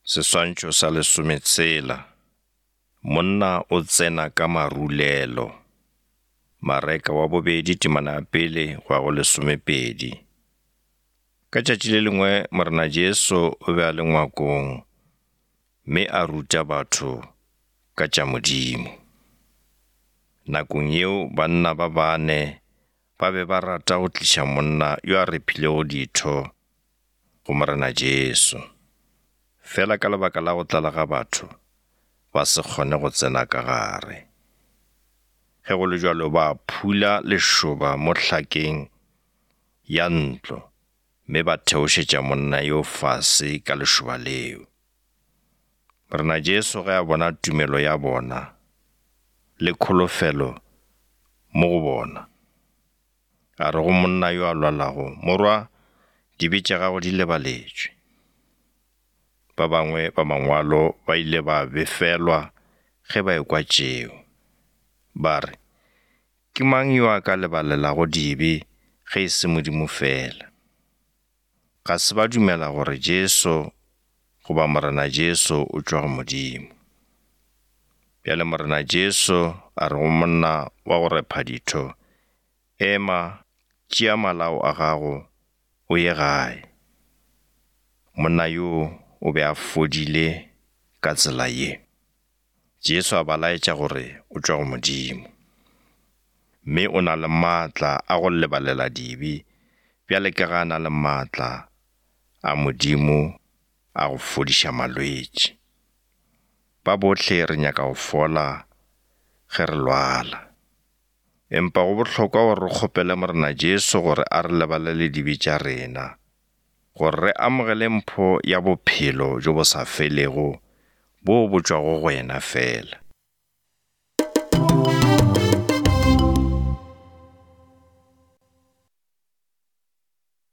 Seswantšho sa lesometshela. Monna o tsena ka marulelo. Mareka wa bobedi temana ya pele go ya go lesomepedi. Ka tšatši le lengwe Morena Jesu o be a le ngwakong mme a ruta batho ka tša Modimo. Nakong yeo banna ba bane ba be ba rata go tliša monna yo a rephilego ditho go Morena Jesu. Fela ka lebaka la go tlala ga batho, ba se kgone go tsena ka gare. Ge go le bjalo ba phula lešoba mo hlakeng ya ntlo mme ba theošetša monna yo fase ka lešoba leo. Morena Jesu ge a bona tumelo ya bona le kholofelo mo go bona, A re go monna yo a lwalago, Morwa, dibe tša gago di lebaletšwe. Ba bangwe ba mangwalo ba ile ba befelwa ge ba ekwa tšeo. Ba re, Ke mang yo a ka lebalelago dibe ge e se Modimo feela? Ga se ba dumela gore Jesu goba Morena Jesu o tšwa go Modimo. Bjale Morena Jesu a re go monna wa go repha ditho, Ema, tšea malao a gago, o ye gae. Monna yoo o be a fodile ka tsela ye. Jesu a ba laetša gore o tšwa go Modimo, mme o na le maatla a go lebalela dibe bjale ka ge a na le maatla a Modimo a go fodiša malwetši. Ba bohle re nyaka go fola ge re lwala. Empa go bohlokwa gore re kgopele Morena Jesu gore a re lebalele dibe tša rena, gore re amogele mpho ya bophelo bjo bo sa felego boo bo tšwago go yena feela.